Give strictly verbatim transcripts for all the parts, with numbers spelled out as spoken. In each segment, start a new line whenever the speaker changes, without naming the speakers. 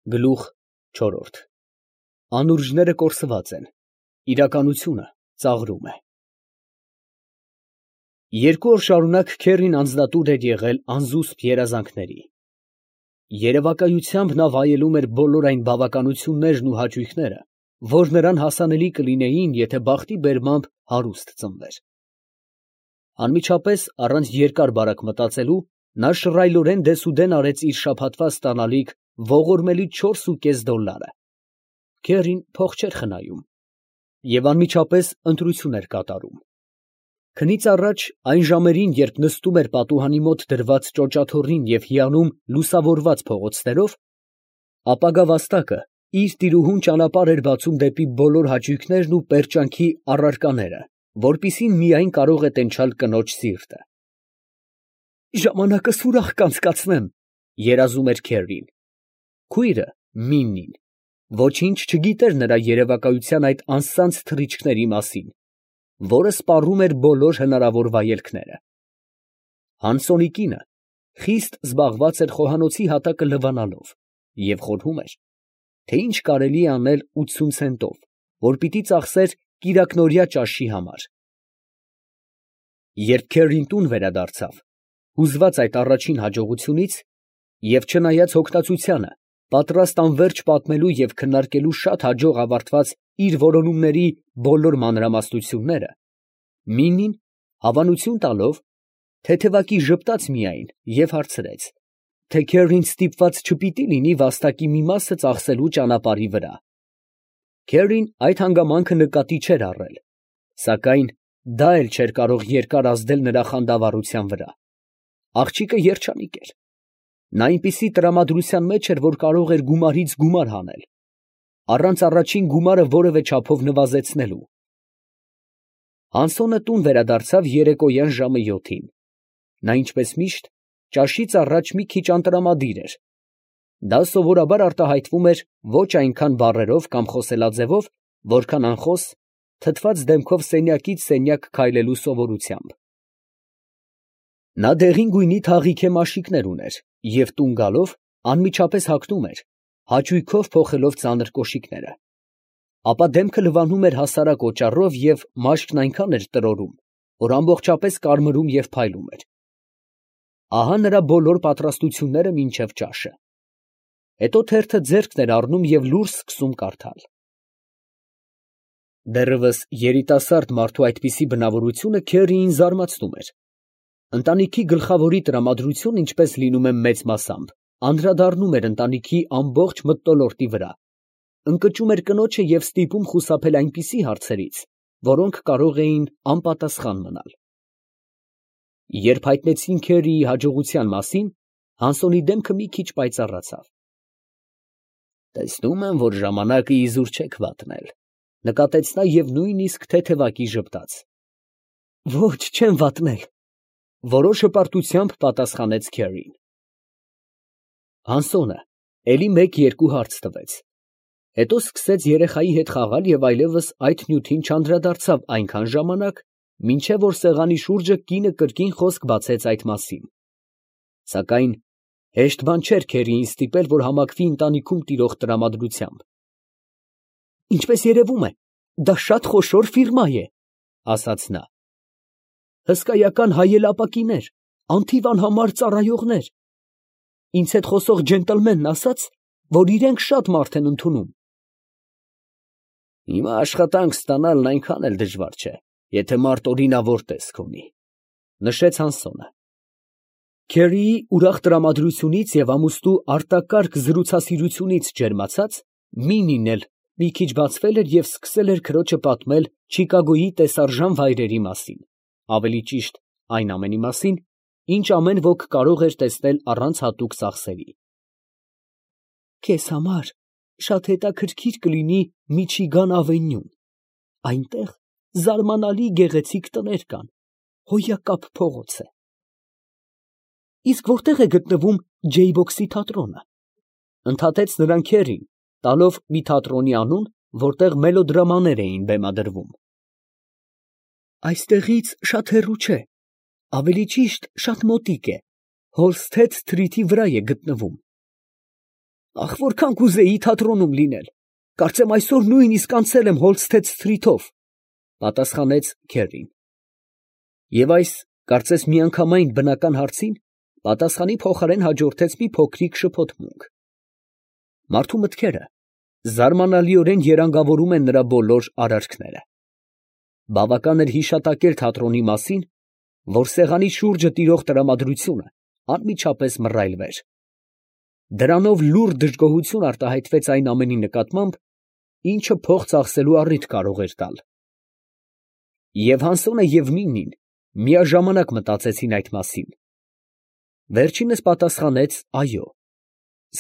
Գլուխ չորրորդ Անուրջները կորսված են, իրականությունը ծաղրում է։ Երկու օր շարունակ Քերրին անձնատուր էր եղել անզուսպ երազանքների։ Երևակայությամբ նա վայելում էր բոլոր այն բավականություններն ու հաճույքները, որ նրան հասանելի կլինեին, եթե բախտի բերմամբ հարուստ ծնվեր։ Անմիջապես, առանց երկար բարակ մտածելու, նա շռայլորեն դեսուդեն արեց իր շաբաթվա ստանալիք ողորմելի չորսուկես դոլլարը։ Քերրին փող չէր խնայում և անմիջապես ընտրություն էր կատարում։ Քնից առաջ, այն ժամերին, երբ նստում էր պատուհանի մոտ դրված ճոճաթոռին և հիանում լուսավորված փողոցներով, ապագա վաստակը իր տիրուհուն ճանապարհ էր բացում դեպի բոլոր հաճույքներն ու պերճանքի առարկաները, որպիսին միայն կարող է տենչալ կնոջ սիրտը։ «Ժամանակս ուրախ կանցկացնեմ», ֊ երազում էր Քերրին։ Քույրը՝ Միննին, ոչինչ չգիտեր նրա երևակայության այդ անսանձ թռիչքների մասին, որը սպառում էր բոլոր հնարավոր վայելքները։ Հանսոնի կինը խիստ զբաղված էր խոհանոցի հատակը լվանալով և խորհում էր, թե ինչ կարելի է անել ութսուն ցենտով, որ պիտի ծախսեր կիրակնօրյա ճաշի համար։ Երբ Քերրին տուն վերադարձավ, հուզված այդ առաջին հաջողությունից, և չնայած հոգնածությանը, պատրաստ անվերջ պատմելու և քննարկելու շատ հաջող ավարտված իր որոնումների բոլոր մանրամասնությունները, Միննին, հավանություն տալով, թեթևակի ժպտաց միայն և հարցրեց, թե Քերրին ստիպված չպիտի լինի վաստակի մի մասը ծախսելու ճանապարհի վրա։ Քերրին այդ հանգամանքը նկատի չէր առել, սակայն դա էլ չէր կարող երկար ազդել նրա խանդավառության վրա։ Աղջիկը երջանիկ էր։ Նա այնպիսի տրամադրության մեջ էր, որ կարող էր գումարից գումար հանել, առանց առաջին գումարը որևէ չափով նվազեցնելու։ Հանսոնը տուն վերադարձավ երեկոյան ժամը յոթին։ Նա, ինչպես միշտ, ճաշից առաջ մի քիչ անտրամադիր էր։ Դա սովորաբար արտահայտվում էր ոչ այնքան բառերով կամ խոսելաձևով, որքան անխոս, թթված դեմքով սենյակից սենյակ քայլելու սովորությամբ։ Նա դեղին գույնի թաղիքե մաշիկներ ուներ և տուն գալով անմիջապես հագնում էր, հաճույքով փոխելով ծանր կոշիկները, ապա դեմքը լվանում էր հասարակ օճառով և մաշկն այնքան էր տրորում, որ ամբողջապես կարմրում և փայլում էր։ Ահա նրա բոլոր պատրաստությունները մինչև ճաշը։ Հետո թերթը ձեռքն էր առնում և լուռ սկսում կարդալ։ Դեռևս երիտասարդ մարդու այդպիսի բնավորությունը Քերրիին զարմացնում էր։ Ընտանիքի գլխավորի տրամադրությունը, ինչպես լինում է մեծ մասամբ, անդրադառնում էր ընտանիքի ամբողջ մթնոլորտի վրա, ընկճում էր կնոջը և ստիպում խուսափել այնպիսի հարցերից, որոնք կարող էին անպատասխան մնալ։ Երբ հայտնեցին Քերրիի հաջողության մասին, Հանսոնի դեմքը մի քիչ պայծառացավ։ «Տեսնում եմ, որ ժամանակը իզուր չեք վատնել», ֊ նկատեց նա և նույնիսկ թեթևակի ժպտաց։ «Ոչ, չեմ վատնել», ֊ որոշ հպարտությամբ պատասխանեց Քերրին։ Հանսոնը էլի մեկ֊երկու հարց տվեց, հետո սկսեց երեխայի հետ խաղալ և այլևս այդ նյութին չանդրադարձավ այնքան ժամանակ, մինչև որ սեղանի շուրջը կինը կրկին խոսք բացեց այդ մասին։ Սակայն հեշտ բան չէր Քերրիին ստիպել, որ համակվի ընտանիքում տիրող տրամադրությամբ։ «Ինչպես երևում է, դա շատ խոշոր ֆիրմա է, ֊ ասաց նա։ Հսկայական հայելապակիներ, անթիվ անհամար ծառայողներ։ Ինձ հետ խոսող ջենտլմենն ասաց, որ իրենք շատ մարդ են ընդունում»։ «Հիմա աշխատանք ստանալն այնքան էլ դժվար չէ, եթե մարդ օրինավոր տեսք ունի», ֊ նշեց Հանսոնը։ Քերրիի ուրախ տրամադրությունից և ամուստու արտակարգ զրուցասիրությունից ջերմացած, Մինին էլ մի քիչ բացվել էր և սկսել էր քրոջը պատմել Չիկագոյի տեսարժան վայրերի մասին, ավելի ճիշտ, այն ամենի մասին, ինչ ամեն ոք կարող էր տեսնել առանց հատուկ ծախսերի։ «Քեզ համար շատ հետաքրքիր կլինի Միչիգան ավենյուն, այնտեղ զարմանալի գեղեցիկ տներ կան, հոյակապ փողոց է»։ «Իսկ որտե՞ղ է գտնվում Ջեյբոքսի թատրոնը», ֊ ընդհատեց նրան Քերրին, տալով մի թատրոնի անուն, որտեղ մելոդրամաներ էին բեմադրվում։ «Այստեղից շատ հեռու չէ, ավելի ճիշտ շատ մոտիկ է, Հոլսթեդ Սթրիթի վրա է գտնվում»։ Ախ, որքան կուզեի թատրոնում լինել, կարծեմ այսօր նույնիսկ անցել եմ Հոլստեդ Սթրիթով, պատասխանեց Քերին։ Եվ այս, կարծես միանգամայն բնական հարցին, պատասխանի փոխարեն հաջորդեց մի փոքրիկ շփոթմունք։ Մարդու մտքերը զարմանալիորեն երանգավորում են նրա բոլոր արարքները։ Բավական էր հիշատակել թատրոնի մասին, որ սեղանի շուրջը տիրող տրամադրությունը անմիջապես մռայլվեր։ Դրանով լուռ դժգոհություն արտահայտվեց այն ամենի նկատմամբ, ինչը փող ծախսելու առիթ կարող էր տալ։ Եվ Հանսոնը և Միննին միաժամանակ մտածեցին այդ մասին։ Վերջինս պատասխանեց այո,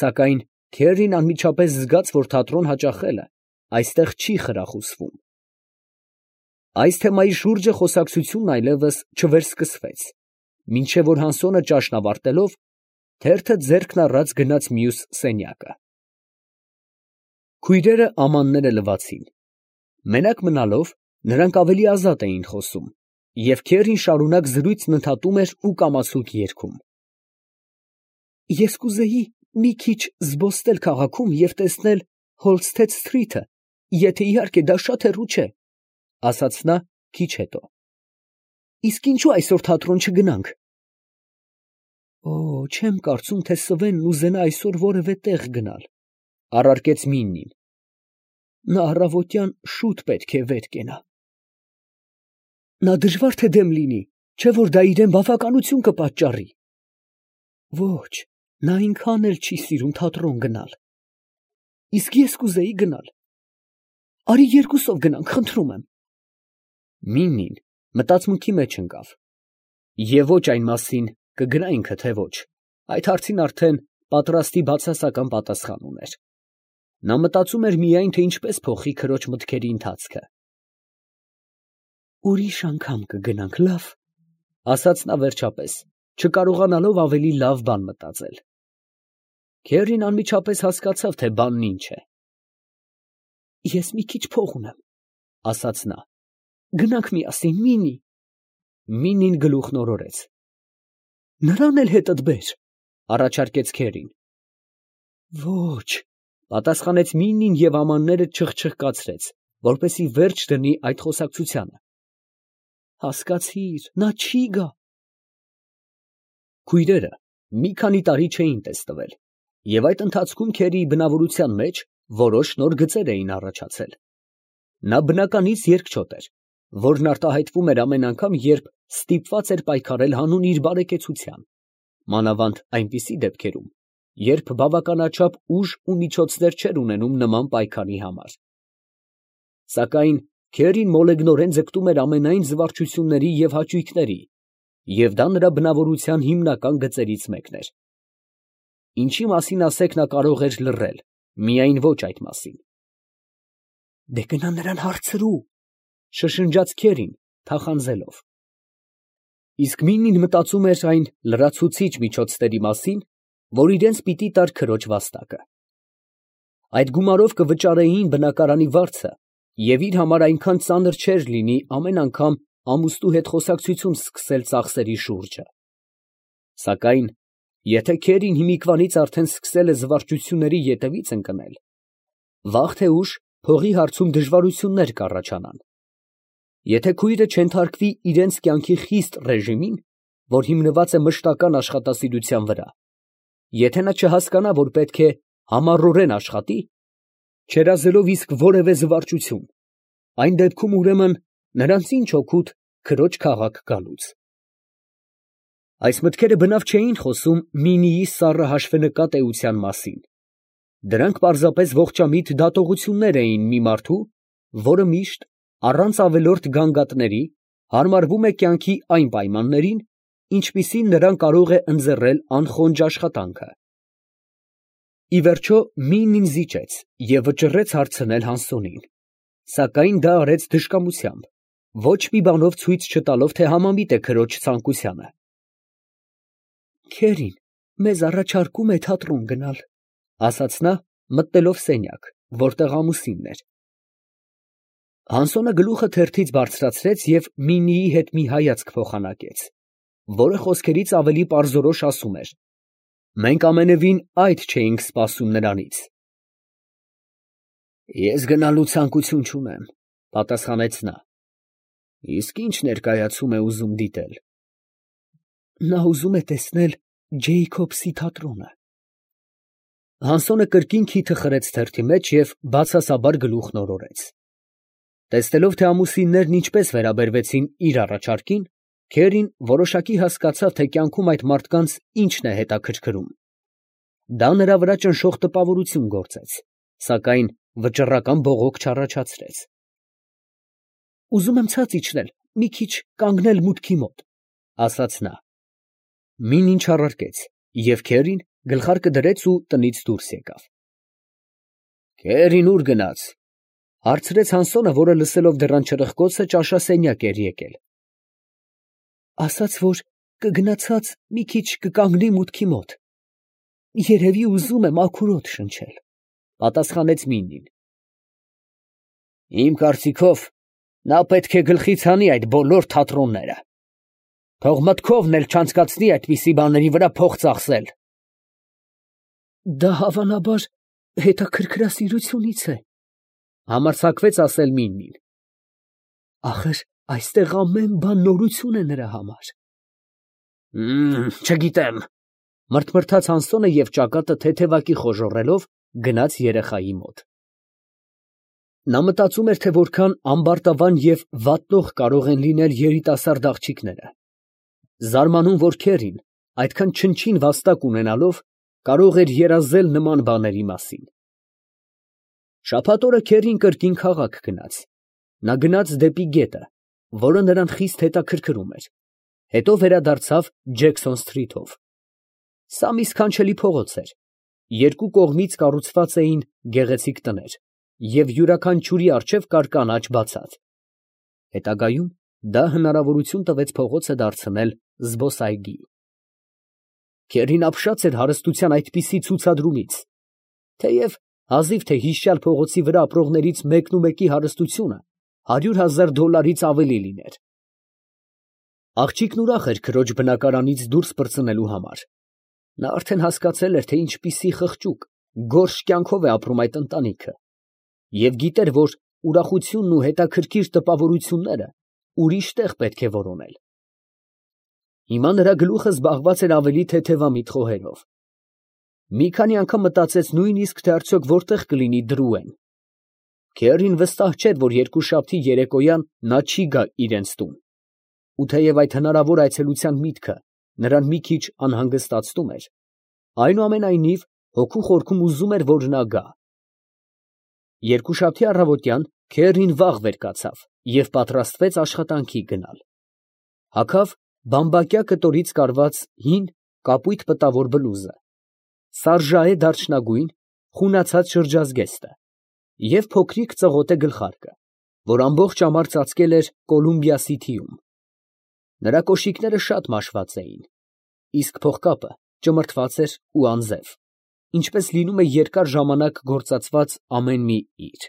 սակայն Քերին անմիջապես զգաց, որ թատրոն հաճախելը այստեղ չի խրախուսվում։ Այս թեմայի շուրջը խոսակցությունն այլևս չվերսկսվեց, մինչև որ Հանսոնը ճաշն ավարտելով, թերթը ձեռքն առած գնաց մյուս սենյակը։ Քույրերը ամանները լվացին։ Մենակ մնալով, նրանք ավելի ազատ էին խոսում, և Քերին շարունակ զրույցն ընդհատում էր ու կամացուկ երգում։ Ես կուզեի մի քիչ զբոսնել քաղաքում և տեսնել Հոլստեդ Սթրիթը, եթե իհարկե դա շատ հեռու չէ, ասաց նա քիչ հետո։ Իսկ ինչու այսօր թատրոն չգնանք։ Օ, չեմ կարծում, թե Սվենն ուզենա այսօր որևէ տեղ գնալ, առարկեց Միննին։ Նա առավոտյան շուտ պետք է վեր կենա։ Նա դժվար թե դեմ լինի, չէ որ դա իրան բավականություն կպատճառի։ Ոչ, նա այնքան էլ չի սիրում թատրոն գնալ։ Իսկ ես կուզեի գնալ։ Արի երկուսով գնանք, խնդրում եմ։ Միննին մտածմունքի մեջ ընկավ։ Եվ ոչ այն մասին կգնայինք, թե ոչ, այդ հարցին արդեն պատրաստի բացասական պատասխան ուներ։ Նա մտածում էր միայն, թե ինչպես փոխի քրոջ մտքերի ընթացքը։ Ուրիշ անգամ կգնանք, լավ, ասաց նա վերջապես, չկարողանալով ավելի լավ բան մտածել։ Քերին անմիջապես հասկացավ, թե բանն ինչ է։ Ես մի քիչ փող ունեմ, ասաց նա։ Գնանք միասին, Մինի։ Մինին գլուխն օրորեց։ Նրան էլ հետդ բեր, առաջարկեց Քերին։ Ոչ, պատասխանեց Մինին և ամանները չխչխկացրեց, որպեսզի վերջ դնի այդ խոսակցությանը։ Հասկացիր, նա չի գա։ Քույրերը մի քանի տարի չէին տեսնվել, և այդ ընթացքում Քերիի բնավորության մեջ որոշ նոր գծեր էին առաջացել։ Նա բնականից երկչոտ էր, որն արտահայտվում էր ամեն անգամ, երբ ստիպված էր պայքարել հանուն իր բարեկեցության, մանավանդ այնպիսի դեպքերում, երբ բավականաչափ ուժ ու միջոցներ չէր ունենում նման պայքարի համար։ Սակայն Քերին մոլեգնորեն ձգտում էր ամենայն զվարճությունների և հաճույքների, և դա նրա բնավորության հիմնական գծերից մեկն էր։ Ինչի մասին ասեք նա կարող էր լռել, միայն ոչ այդ մասին։ Դե գնա նրան հարցրու, շշնջաց Քերին, թախանձելով։ Իսկ Մինին մտածում էր այն լրացուցիչ միջոցների մասին, որ իրենց պիտի տար քրոջ վաստակը։ Այդ գումարով կվճարեին բնակարանի վարձը, և իր համար այնքան ծանր չէր լինի ամեն անգամ ամուսնու հետ խոսակցություն սկսել ծախսերի շուրջը։ Սակայն, եթե Քերին հիմիկվանից արդեն սկսել է զվարճությունների ետևից ընկնել, վաղ թե ուշ փողի հարցում դժվարություններ կառաջանան։ Եթե քույրը չենթարկվի իրենց կյանքի խիստ ռեժիմին, որ հիմնված է մշտական աշխատասիրության վրա, եթե նա չհասկանա, որ պետք է համառորեն աշխատի, չերազելով իսկ որևէ զվարճություն, այն դեպքում ուրեմն նրանց ինչ օգուտ քրոջ քաղաք գալուց։ Այս մտքերը բնավ չէին խոսում Մինիի սառը հաշվենկատ էության մասին։ Դրանք պարզապես ողջամիտ դատողություններ էին մի մարդու, որը միշտ, առանց ավելորդ գանգատների, հարմարվում է կյանքի այն պայմաններին, ինչպիսին նրան կարող է ընձեռել անխոնջ աշխատանքը։ Ի վերջո Մինին զիջեց և վճռեց հարցնել Հանսոնին, սակայն դա արեց դժկամությամբ, ոչ մի բանով ցույց չտալով, թե համամիտ է քրոջ ցանկությանը։ Քերին մեզ առաջարկում է թատրոն գնալ, ասաց նա, մտնելով սենյակ, որտեղ ամուսինն էր։ Հանսոնը գլուխը թերթից բարձրացրեց և Մինիի հետ մի հայացք փոխանակեց, որը խոսքերից ավելի պարզորոշ ասում էր. Մենք ամենևին այդ չէինք սպասում նրանից։ Ես գնալու ցանկություն չունեմ, պատասխանեց նա։ Իսկ ի՞նչ ներկայացում է ուզում դիտել։ Նա ուզում է տեսնել Ջեյքոբսի թատրոնը։ Հանսոնը կրկին քիթը խրեց թերթի մեջ և բացասաբար գլուխն օրորեց։ Տեսնելով, թե ամուսիններն ինչպես վերաբերվեցին իր առաջարկին, Քերին որոշակի հասկացավ, թե կյանքում այդ մարդկանց ինչն է հետաքրքրում։ Դա նրա վրա ճնշող տպավորություն գործեց, սակայն վճռական բողոք չառաջացրեց։ Ուզում եմ ցած իջնել, մի քիչ կանգնել մուտքի մոտ, ասաց նա։ Մին ինչ առարկեց, և Քերին գլխարկը դրեց ու տնից դուրս եկավ։ Քերին ուր գնաց, հարցրեց Հանսոնը, որը լսելով դռան չրպկոցը ճաշասենյակ էր եկել։ Ասաց, որ կգնացած մի քիչ կկանգնի մուտքի մոտ։ Երևի ուզում է մաքուր օդ շնչել, պատասխանեց Մինին։ Իմ կարծիքով, նա պետք է գլխից հանի այդ բոլոր թատրոնները։ Թող մտքովն էլ չանցկացնի այդպիսի բաների վրա փող ծախսել։ Դա հավանաբար հետաքրքրասիրությունից է, համարձակվեց ասել Մինին։ Ախր այստեղ ամեն բան նորություն է նրա համար։ Չգիտեմ, մրթմրթաց Հանսոնը և ճակատը թեթևակի խոժոռելով գնաց երեխայի մոտ։ Նա մտածում էր, թե որքան ամբարտավան և վատնող կարող են լինել երիտասարդ աղջիկները։ Զարմանում, որ Քերին, այդքան չնչին վաստակ ունենալով, կարող էր երազել նման բաների մասին։ Շաբաթ օրը Քերին կրկին քաղաք գնաց։ Նա գնաց դեպի գետը, որը նրան խիստ հետաքրքրում էր, հետո վերադարձավ Ջեքսոն սթրիթով։ Սա մի սքանչելի փողոց էր, երկու կողմից կառուցված էին գեղեցիկ տներ, և յուրաքանչյուրի առջև կար կանաչ բացատ։ Հետագայում դա հնարավորություն տվեց փողոցը դարձնել զբոսայգի։ Քերին ապշած էր հարստության այդպիսի ցուցադրումից, թեև հազիվ թե հիշյալ փողոցի վրա ապրողներից մեկն ու մեկի հարստությունը հարյուր հազար դոլարից ավելի լիներ։ Աղջիկն ուրախ էր քրոջ բնակարանից դուրս պրծնելու համար։ Նա արդեն հասկացել էր, թե ինչպիսի խղճուկ, գորշ կյանքով է ապրում այդ ընտանիքը, և գիտեր, որ ուրախությունն ու հետաքրքիր տպավորությունները ուրիշ տեղ պետք է որոնել։ Հիմա նրա գլուխը զբաղված էր ավելի թեթևամիտ խոհերով։ Մի քանի անգամ մտածեց նույնիսկ, թե արդյոք որտեղ կլինի Դրուեն։ Քերին վստահ չէր, որ երկուշաբթի երեկոյան նա չի գա իրենց տուն, ու թեև այդ հնարավոր այցելության միտքը նրան մի քիչ անհանգստացնում էր, այնուամենայնիվ հոգու խորքում ուզում էր, որ նա գա։ Երկուշաբթի առավոտյան Քերին վաղ վեր կացավ և պատրաստվեց աշխատանքի գնալ։ Հագավ բամբակյա կտորից կարված հին կապույտ պտավոր բլուզը, սարժայե դարչնագույն խունացած շրջազգեստը և փոքրիկ ծղոտե գլխարկը, որ ամբողջ ամառ ծածկել էր կոլումբիա սիթիում։ Նրա կոշիկները շատ մաշված էին, իսկ փողկապը ճմրթված էր ու անձև, ինչպես լինում է երկար ժամանակ գործածված ամեն մի իր։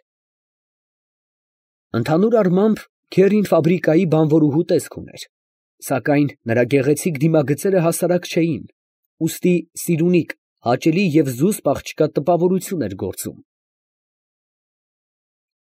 Ընդհանուր առմամբ Քերին ֆաբրիկայի բանվորուհու տեսք ուներ, սակայն նրա գեղեցիկ դիմագծերը հասարակ չէին, ուստի սիրունիկ, հաճելի և զուսպ աղջկա տպավորություն էր գործում։